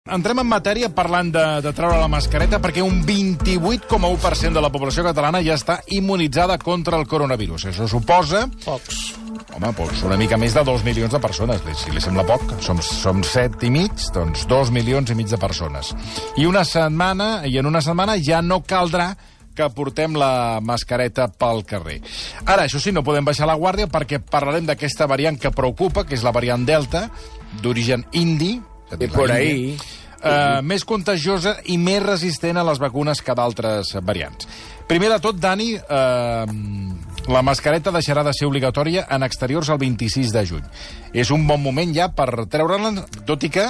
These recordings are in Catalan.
Entrem en matèria parlant de treure la mascareta perquè un 28,1% de la població catalana ja està immunitzada contra el coronavirus. Això suposa... Pocs. Home, pocs. Una mica més de 2 milions de persones. Si li sembla poc, som 7 i mig, doncs 2 milions i mig de persones. I en una setmana ja no caldrà que portem la mascareta pel carrer. Ara, això sí, no podem baixar la guàrdia perquè parlarem d'aquesta variant que preocupa, que és la variant Delta, d'origen indi, por ahí. Més contagiosa i més resistent a les vacunes que d'altres variants. Primer de tot, Dani, la mascareta deixarà de ser obligatòria en exteriors el 26 de juny. És un bon moment ja per treure-la, tot i que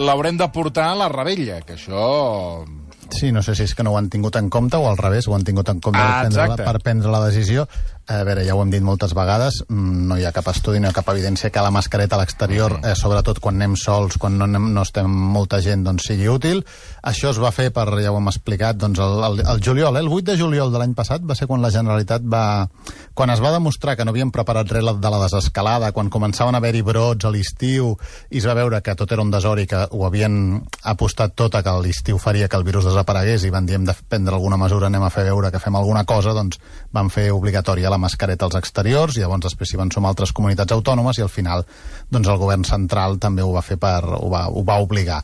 l'haurem de portar a la Rebella, que això... Sí, no sé si és que no ho han tingut en compte o al revés, ho han tingut en compte per prendre la decisió. A veure, ja ho hem dit moltes vegades, no hi ha cap estudi, no hi ha cap evidència que la mascareta a l'exterior, sobretot quan anem sols, quan no estem molta gent, doncs sigui útil. Això es va fer per, ja ho hem explicat, doncs el juliol, el 8 de juliol de l'any passat va ser quan la Generalitat va... Quan es va demostrar que no havien preparat res de la desescalada, quan començaven a haver-hi brots a l'estiu i es va veure que tot era un desori, que ho havien apostat tot a que l'estiu faria que el virus desaparegués i van dir hem de prendre alguna mesura, anem a fer veure que fem alguna cosa, doncs van fer obligatòria la mascareta als exteriors, i llavors després s'hi van sumar altres comunitats autònomes i al final doncs el govern central també ho va fer ho va obligar.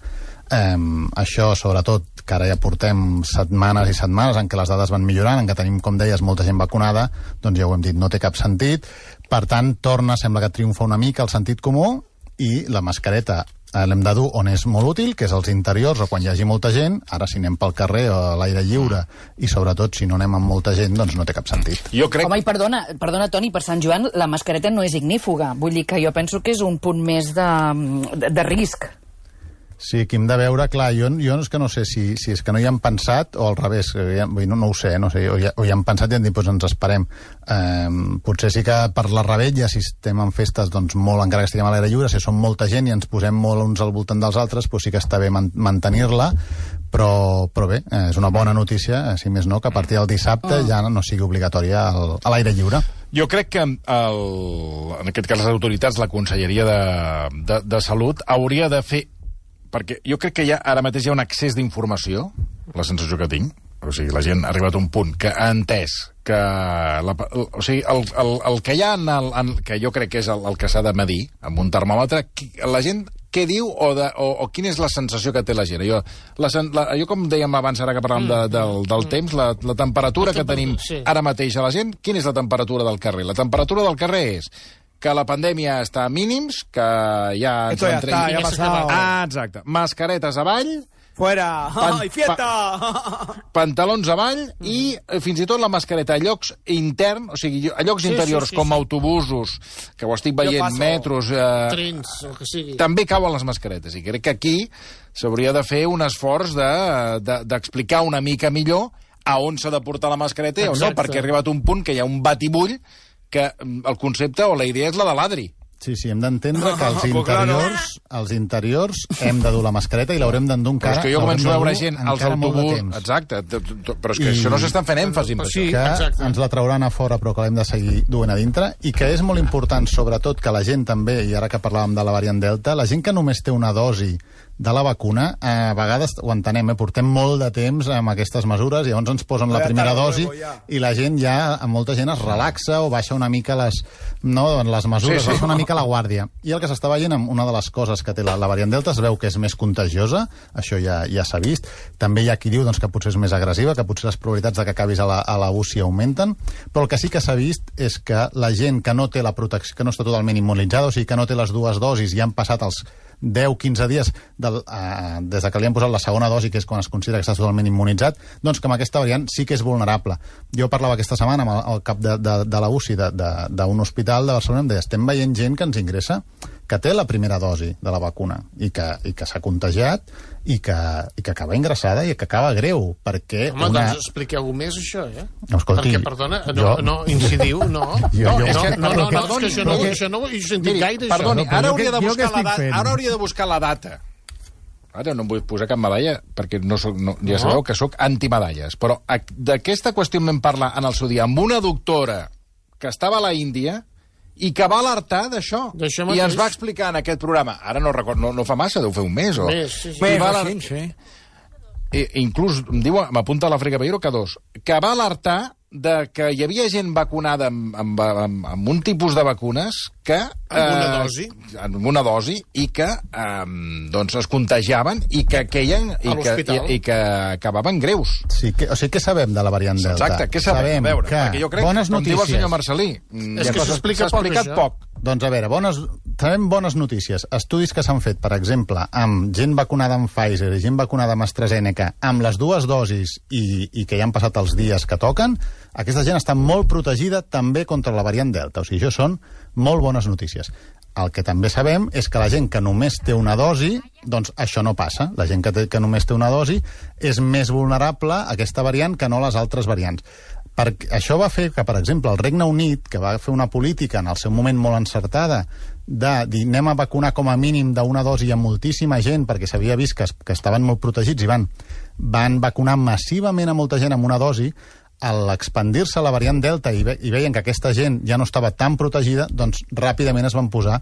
Això, sobretot, que ara ja portem setmanes i setmanes en què les dades van millorant, en què tenim, com deies, molta gent vacunada, doncs ja ho hem dit, no té cap sentit. Per tant, sembla que triomfa una mica el sentit comú i la mascareta l'hem de dur on és molt útil, que és als interiors o quan hi hagi molta gent. Ara, si anem pel carrer o a l'aire lliure i, sobretot, si no anem amb molta gent, doncs no té cap sentit. Jo crec... Home, i perdona, Toni, per Sant Joan la mascareta no és ignífuga. Vull dir que jo penso que és un punt més de risc. Sí, aquí hem de veure, clar, jo és que no sé si és que no hi han pensat o al revés, no ho sé, o hi han pensat i han dit, doncs ens esperem. Potser sí que per la Rebella, si estem en festes, doncs molt, encara que estiguem a l'aire lliure, si som molta gent i ens posem molt uns al voltant dels altres, doncs sí que està bé mantenir-la, però bé, és una bona notícia, si més no, que a partir del dissabte ja no sigui obligatòria a l'aire lliure. Jo crec que, en aquest cas, les autoritats, la Conselleria de Salut, hauria de fer... Perquè jo crec que ara mateix hi ha un excés d'informació, la sensació que tinc. O sigui, la gent ha arribat a un punt que ha entès que... O sigui, el que hi ha que jo crec que és el que s'ha de medir amb un termòmetre, la gent què diu o quina és la sensació que té la gent. Jo com dèiem abans, ara que parlàvem del temps, la temperatura que tenim ara mateix a la gent, quina és la temperatura del carrer? La temperatura del carrer és que la pandèmia està a mínims, que ja... Esto ya está, ya ha pasado. Exacte. Mascaretes avall... Fuera! ¡Ay, fiesta! Pantalons avall i fins i tot la mascareta a llocs interns, o sigui, a llocs interiors com autobusos, que ho estic veient, metros... Trens, el que sigui. També cauen les mascaretes. I crec que aquí s'hauria de fer un esforç d'explicar una mica millor a on s'ha de portar la mascareta o no, perquè ha arribat un punt que hi ha un batibull que el concepte o la idea és la de l'Adri. Sí, hem d'entendre que als interiors hem de dur la mascareta i l'haurem d'endur encara... Però és que jo començo a veure gent als autobusos... Exacte, però és que això no s'estan fent èmfasi amb això. Que ens la trauran a fora però que l'hem de seguir duent a dintre i que és molt important, sobretot, que la gent també, i ara que parlàvem de la variant Delta, la gent que només té una dosi de la vacuna, a vegades ho entenem, portem molt de temps amb aquestes mesures i llavors ens posen la primera dosi i la gent ja, molta gent es relaxa o baixa una mica les mesures, baixa una mica la guàrdia. I el que s'està veient amb una de les coses que té la variant Delta es veu que és més contagiosa, això ja s'ha vist. També hi ha qui diu que potser és més agressiva, que potser les probabilitats de que acabis a la UCI augmenten, però el que sí que s'ha vist és que la gent que no té la protecció, que no està totalment immunitzada, o sigui que no té les dues dosis i han passat els 10-15 dies des que li han posat la segona dosi, que és quan es considera que està totalment immunitzat, doncs que amb aquesta variant sí que és vulnerable. Jo parlava aquesta setmana amb el cap de la UCI d'un hospital de Barcelona, em deia, estem veient gent que ens ingressa que té la primera dosi de la vacuna i que s'ha contagiat i que acaba ingressada i que acaba greu, perquè... Home, doncs expliqueu-ho més, això, Escolti, perquè, perdona, no incidiu, no. És que això no ho he sentit gaire, això. Perdoni, ara hauria de buscar la data. Ara no em vull posar cap medalla, perquè ja sabeu que sóc antimedalles, però d'aquesta qüestió em vam parlar en el seu dia amb una doctora que estava a la Índia i que va alertar d'això. I ens va explicar en aquest programa, ara no recordo, no fa massa, deu fer un mes o... Sí. Inclús, em diu, m'apunta a l'Àfrica Peiro, que va alertar de que hi havia gent vacunada amb un tipus de vacunes que... Amb una dosi, i que doncs es contagiaven i que queien i que acabaven greus. Sí, o sigui, què sabem de la variant Delta? Exacte, què sabem? A veure, perquè jo crec, com diu el senyor Marcelí, és que s'ha explicat poc. Doncs a veure, sabem bones notícies. Estudis que s'han fet, per exemple, amb gent vacunada amb Pfizer i gent vacunada amb AstraZeneca, amb les dues dosis i que ja han passat els dies que toquen, aquesta gent està molt protegida també contra la variant Delta. O sigui, això són molt bones notícies. El que també sabem és que la gent que només té una dosi, doncs això no passa. La gent que només té una dosi és més vulnerable a aquesta variant que no a les altres variants. Això va fer que, per exemple, el Regne Unit, que va fer una política en el seu moment molt encertada de dir anem a vacunar com a mínim d'una dosi a moltíssima gent perquè s'havia vist que estaven molt protegits i van vacunar massivament a molta gent amb una dosi, a l'expandir-se la variant Delta i veien que aquesta gent ja no estava tan protegida, doncs ràpidament es van posar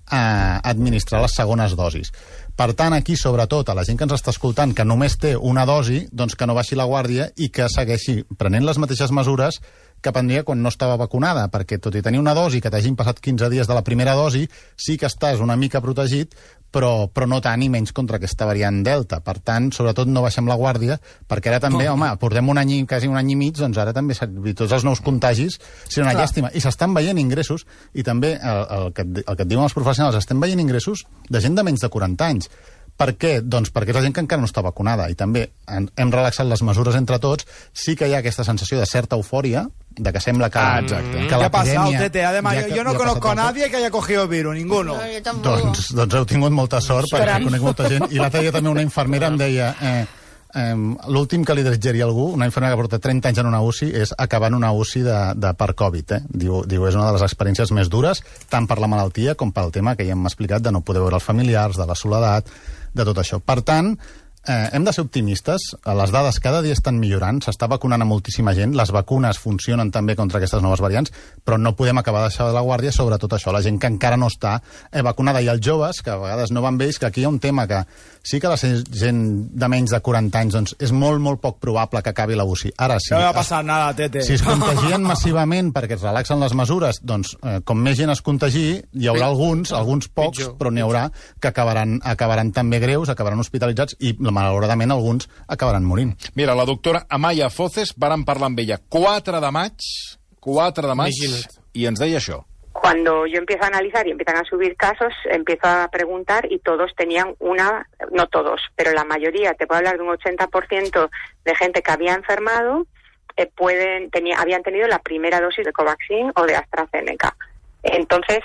a administrar les segones dosis. Per tant, aquí, sobretot, a la gent que ens està escoltant que només té una dosi, doncs que no baixi la guàrdia i que segueixi prenent les mateixes mesures que prendria quan no estava vacunada, perquè tot i tenir una dosi que t'hagin passat 15 dies de la primera dosi, sí que estàs una mica protegit, però no tant i menys contra aquesta variant Delta. Per tant, sobretot no baixem la guàrdia, perquè ara també, portem quasi un any i mig, doncs ara també tots els nous contagis seran una llàstima. I s'estan veient ingressos, i també el que et diuen els professionals, estem veient ingressos de gent de menys de 40 anys. Per què? Doncs perquè és la gent que encara no està vacunada i també hem relaxat les mesures entre tots. Sí que hi ha aquesta sensació de certa eufòria, de que sembla que la pandèmia... Tete. Además, yo no conozco a nadie que haya cogido el virus, ninguno. Doncs heu tingut molta sort, perquè conec molta gent. I l'altre dia també una infermera em deia... l'últim que li desitjaria algú, una infermera que porta 30 anys en una UCI, és acabar en una UCI per Covid. Diu, és una de les experiències més dures, tant per la malaltia com pel tema que ja hem explicat de no poder veure els familiars, de la soledat, de tot això. Per tant, hem de ser optimistes. Les dades cada dia estan millorant, s'està vacunant a moltíssima gent, les vacunes funcionen també contra aquestes noves variants, però no podem acabar de deixar de la guàrdia, sobretot això, la gent que encara no està vacunada, i els joves, que a vegades no van bé, que aquí hi ha un tema que sí que la gent de menys de 40 anys doncs, és molt, molt poc probable que acabi la UCI. Ara, no va passar nada, Tete. Si es contagien massivament perquè es relaxen les mesures, doncs, com més gent es contagi, hi haurà alguns pocs, però n'hi haurà que acabaran també greus, acabaran hospitalitzats, i malauradament alguns acabaran morint. Mira, la doctora Amaya Foces, vàrem parlar amb ella 4 de maig, i ens deia això. Cuando yo empiezo a analizar y empiezan a subir casos, empiezo a preguntar y todos tenían no todos, pero la mayoría, te puedo hablar de un 80% de gente que había enfermado, habían tenido la primera dosis de Covaxin o de AstraZeneca. Entonces,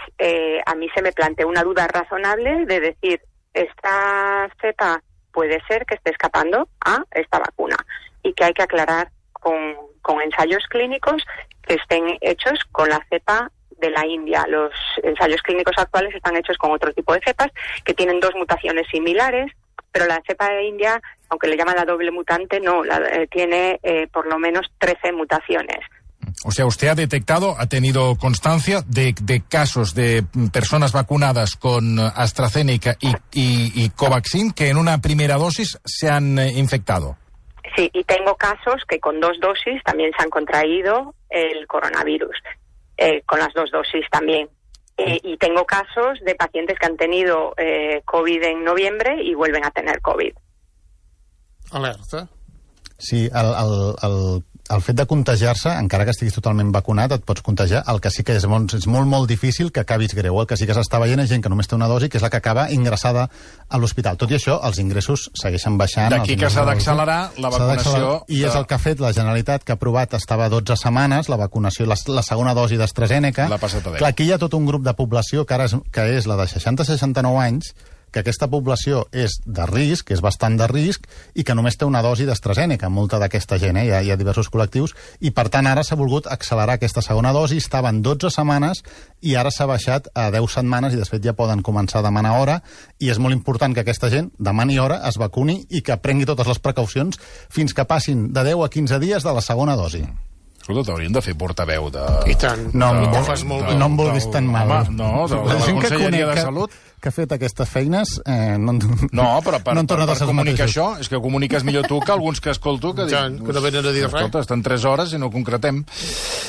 a mí se me planteó una duda razonable de decir, esta cepa puede ser que esté escapando a esta vacuna y que hay que aclarar con ensayos clínicos que estén hechos con la cepa de la India. Los ensayos clínicos actuales están hechos con otro tipo de cepas que tienen 2 mutaciones similares, pero la cepa de India, aunque le llaman la doble mutante, no, tiene por lo menos 13 mutaciones. O sea, usted ha tenido constancia de casos de personas vacunadas con AstraZeneca y Covaxin que en una primera dosis se han infectado. Sí, y tengo casos que con 2 dosis también se han contraído el coronavirus, con las 2 dosis también. Y tengo casos de pacientes que han tenido COVID en noviembre y vuelven a tener COVID. Alerta. Sí, el fet de contagiar-se, encara que estiguis totalment vacunat, et pots contagiar. El que sí que és molt difícil que acabis greu. El que sí que s'està veient és gent que només té una dosi, que és la que acaba ingressada a l'hospital. Tot i això, els ingressos segueixen baixant. D'aquí que s'ha d'accelerar la vacunació. I és el que ha fet la Generalitat, que ha aprovat, estava 12 setmanes, la vacunació, la segona dosi d'AstraZeneca. L'ha passat a 10. Clar, aquí hi ha tot un grup de població que és la de 60-69 anys, que aquesta població és de risc, és bastant de risc, i que només té una dosi d'AstraZeneca, molta d'aquesta gent, hi ha diversos col·lectius, i per tant ara s'ha volgut accelerar aquesta segona dosi, estaven 12 setmanes i ara s'ha baixat a 10 setmanes i després ja poden començar a demanar hora, i és molt important que aquesta gent demani hora, es vacuni i que prengui totes les precaucions fins que passin de 10 a 15 dies de la segona dosi. Escolta, t'haurien de fer portaveu de... I tant, no em vulguis tan mal. No, de la Conselleria de Salut. Que ha fet aquestes feines no, però per comunicar això, és que comuniques millor tu que alguns que escolto que diuen... Que no venen a dir res. Escolta, estan 3 hores i no concretem.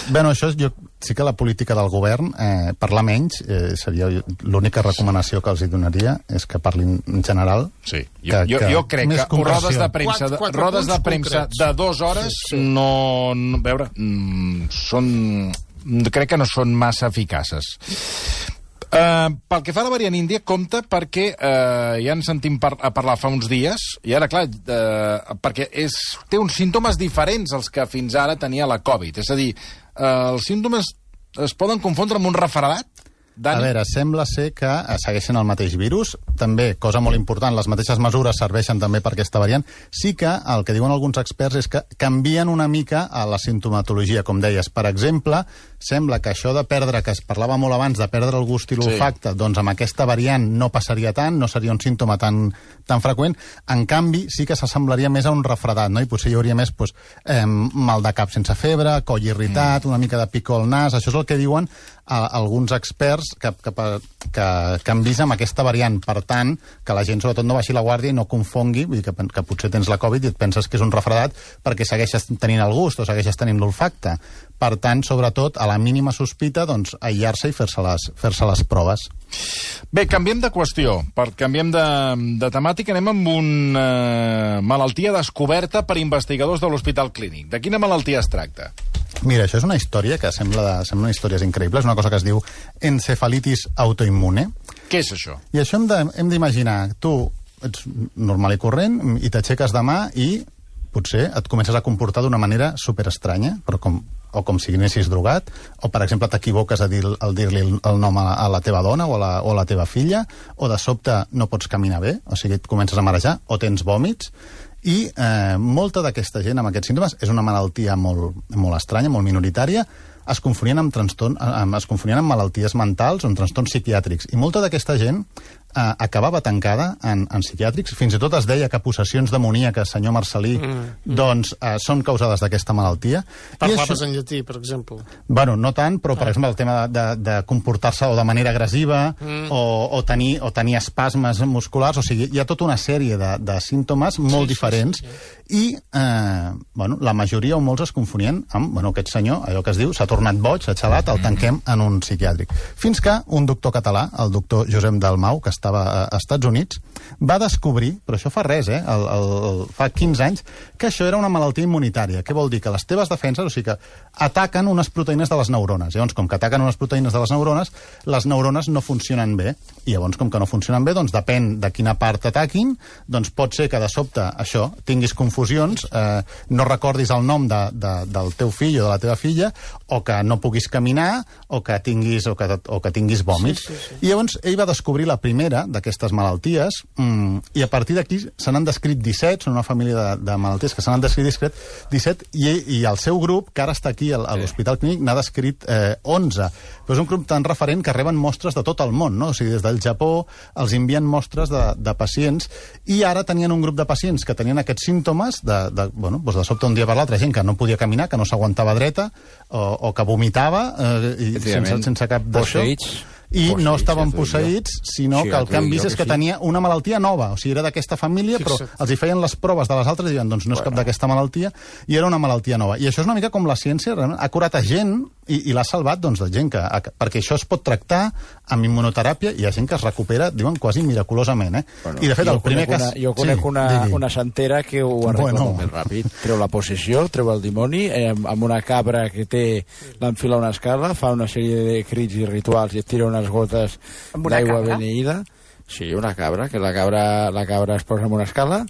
Bueno, això sí que la política del govern, parlar menys, seria l'única recomanació que els hi donaria, és que parlin en general. Sí, jo crec que rodes de premsa de 2 hores no... A veure, crec que no són massa eficaces. Pel que fa a la variant índia, compte perquè ja ens sentim a parlar fa uns dies, i ara, clar, perquè té uns símptomes diferents als que fins ara tenia la Covid. És a dir, els símptomes es poden confondre amb un refredat? Dani? A veure, sembla ser que segueixen el mateix virus. També, cosa molt important, les mateixes mesures serveixen també per aquesta variant. Sí que el que diuen alguns experts és que canvien una mica a la simptomatologia, com deies. Per exemple, sembla que això de perdre, que es parlava molt abans, de perdre el gust i l'olfacte, doncs amb aquesta variant no passaria tant, no seria un símptoma tan freqüent. En canvi, sí que s'assemblaria més a un refredat, no? I potser hi hauria més mal de cap sense febre, coll irritat, una mica de picor al nas. Això és el que diuen alguns experts que han vist amb aquesta variant. Per tant, que la gent sobretot no baixi la guàrdia i no confongui, vull dir que potser tens la Covid i et penses que és un refredat perquè segueixes tenint el gust o segueixes tenint l'olfacte. Per tant, sobretot, a la mínima sospita, doncs, aïllar-se i fer-se les proves. Bé, canviem de qüestió. Canviem de temàtica, anem amb una malaltia descoberta per investigadors de l'Hospital Clínic. De quina malaltia es tracta? Mira, això és una història que sembla històries increïbles, una cosa que es diu encefalitis autoimmune. Què és això? I això hem d'imaginar, tu ets normal i corrent i t'aixeques demà i potser et comences a comportar d'una manera superestranya, però com si anessis drogat, o per exemple t'equivoques al dir-li el nom a la teva dona o a la teva filla, o de sobte no pots caminar bé, o sigui, et comences a marejar, o tens vòmits. I molta d'aquesta gent amb aquests símptomes és una malaltia molt estranya, molt minoritària, es confonien amb malalties mentals o amb trastorns psiquiàtrics. I molta d'aquesta gent acabava tancada en psiquiàtrics. Fins i tot es deia que possessions demoníaques, senyor Marcelí, doncs són causades d'aquesta malaltia. Parlaves en llatí, per exemple. Bueno, no tant, però per exemple el tema de comportar-se o de manera agressiva o tenir espasmes musculars, o sigui, hi ha tota una sèrie de símptomes molt diferents i la majoria o molts es confonien amb aquest senyor, allò que es diu, s'ha tornat boig, s'ha xalat, el tanquem en un psiquiàtric. Fins que un doctor català, el doctor Josep Dalmau, que estava als Estats Units, va descobrir, però això fa res, fa 15 anys, que això era una malaltia immunitària. Què vol dir? Que les teves defenses, o sigui que ataquen unes proteïnes de les neurones. Llavors, com que ataquen unes proteïnes de les neurones no funcionen bé. I llavors, com que no funcionen bé, doncs depèn de quina part ataquin, doncs pot ser que de sobte això tinguis confusions, no recordis el nom del teu fill o de la teva filla, o que no puguis caminar, o que tinguis vòmits. I llavors ell va descobrir la primera d'aquestes malalties, i a partir d'aquí se n'han descrit 17, són una família de malalties que se n'han descrit 17, i el seu grup, que ara està aquí a l'Hospital Clínic, n'ha descrit 11. Però és un grup tan referent que reben mostres de tot el món, no? O sigui, des del Japó els envien mostres de pacients, i ara tenien un grup de pacients que tenien aquests símptomes de sobte un dia per l'altre, gent que no podia caminar, que no s'aguantava dreta, o que vomitava, sense cap d'això. I no estaven posseïts, sinó que el que han vist és que tenia una malaltia nova. O sigui, era d'aquesta família, però els hi feien les proves de les altres i diuen, doncs no és cap d'aquesta malaltia, i era una malaltia nova. I això és una mica com la ciència, ha curat a gent i l'ha salvat, doncs, de gent perquè això es pot tractar amb immunoteràpia, i hi ha gent que es recupera, diuen, quasi miraculosament, I, de fet, el primer cas... Jo conec una santera que ho arregla molt més ràpid. Treu la possessió, treu el dimoni, amb una cabra que l'enfila una escala, fa una sèrie de crits i rituals i et tira unes gotes d'aigua beneïda. Sí, una cabra, que la cabra es posa en una escala,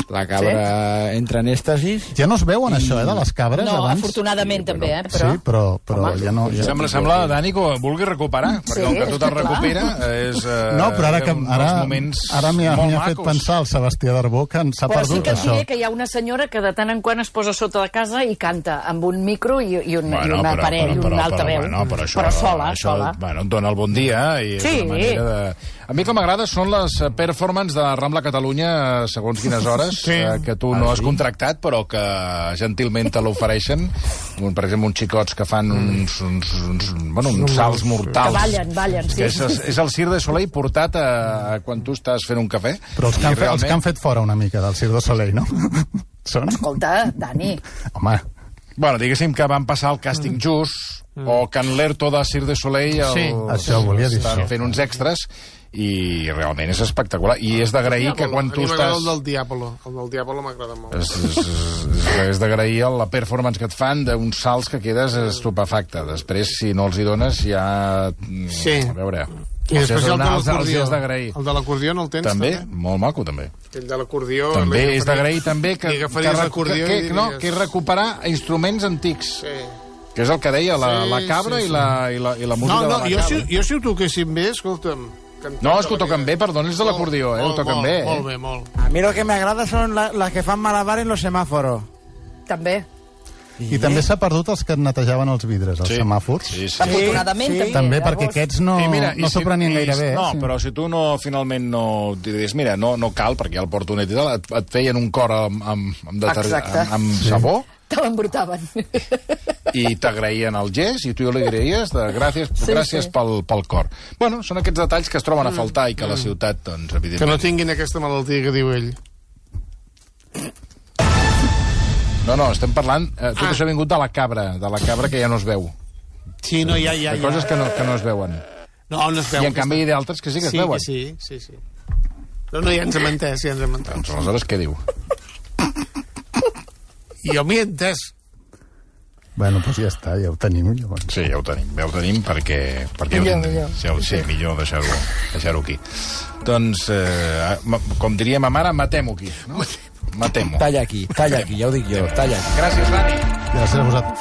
la cabra entra en èxtasis... Ja no es veuen això, de les cabres, no, abans? No, afortunadament també, però... Sí, però ja no... Sembla, Dani, que ho vulgui recuperar, perquè com que tot es recupera és... No, però ara m'hi ha fet pensar el Sebastià Darbó que s'ha perdut, això. Però sí que et diré que hi ha una senyora que de tant en quant es posa sota de casa i canta amb un micro i un aparell, un altaveu, però sola. Bueno, et dona el bon dia i és una manera de... A mi que m'agrada són les performances de Rambla Catalunya segons quines hores, que tu no has contractat, però que gentilment te l'ofereixen. Per exemple, uns xicots que fan uns salts mortals. Que ballen, sí. És el Cirque du Soleil portat a quan tu estàs fent un cafè. Però els que han fet fora una mica del Cirque du Soleil, no? Són? Escolta, Dani. Home. Bueno, diguéssim que van passar el càsting just, o que en l'ERTO de Cirque du Soleil això volia dir. Estan fent uns extras, i realment és espectacular. I és d'agrair que quan tu estàs... El del Diablo m'agrada molt. És d'agrair la performance que et fan d'uns salts que quedes estupefacte. Després, si no els hi dones, ja... Sí. A veure... I després el de l'acordió. El de l'acordió no el tens, també? Molt maco, també. El de l'acordió... També és d'agrair també que recuperar instruments antics. Sí. Que és el que deia la cabra i la música de la cabra. Jo si ho toquessin bé, escolta'm... No, és que ho toquen bé, perdó, és de l'acordió, ho toquen bé. Molt bé, molt. A mi lo que me agrada son las que fan malabar en los semáforos. També. I també s'ha perdut els que netejaven els vidres, els semàfors. Sí. Afortunadament, també. També, perquè aquests no s'ho prenien gaire bé. No, però si tu finalment no diries, mira, no cal, perquè ja el porto net i tal, et feien un cor amb sabó, te l'embrutaven. I t'agraïen el gest, i tu li agraïes gràcies pel cor. Bueno, són aquests detalls que es troben a faltar i que la ciutat, doncs, evidentment... Que no tinguin aquesta malaltia que diu ell. No, estem parlant... Tot això ha vingut de la cabra que ja no es veu. Sí, no, ja. De coses que no es veuen. No es veu. I en canvi hi ha d'altres que sí que es veuen. Sí. No, ja ens hem entès, Doncs aleshores què diu? Jo m'hi he entès. Bueno, doncs ja està, ja ho tenim. Llavors. Sí, ja ho tenim perquè sí, millor deixar-ho aquí. Doncs, com diria ma mare, matem-ho aquí, no? Matemo. Talla aquí, ja ho dic jo, talla aquí. Gràcies, Dani. Gràcies a vosaltres.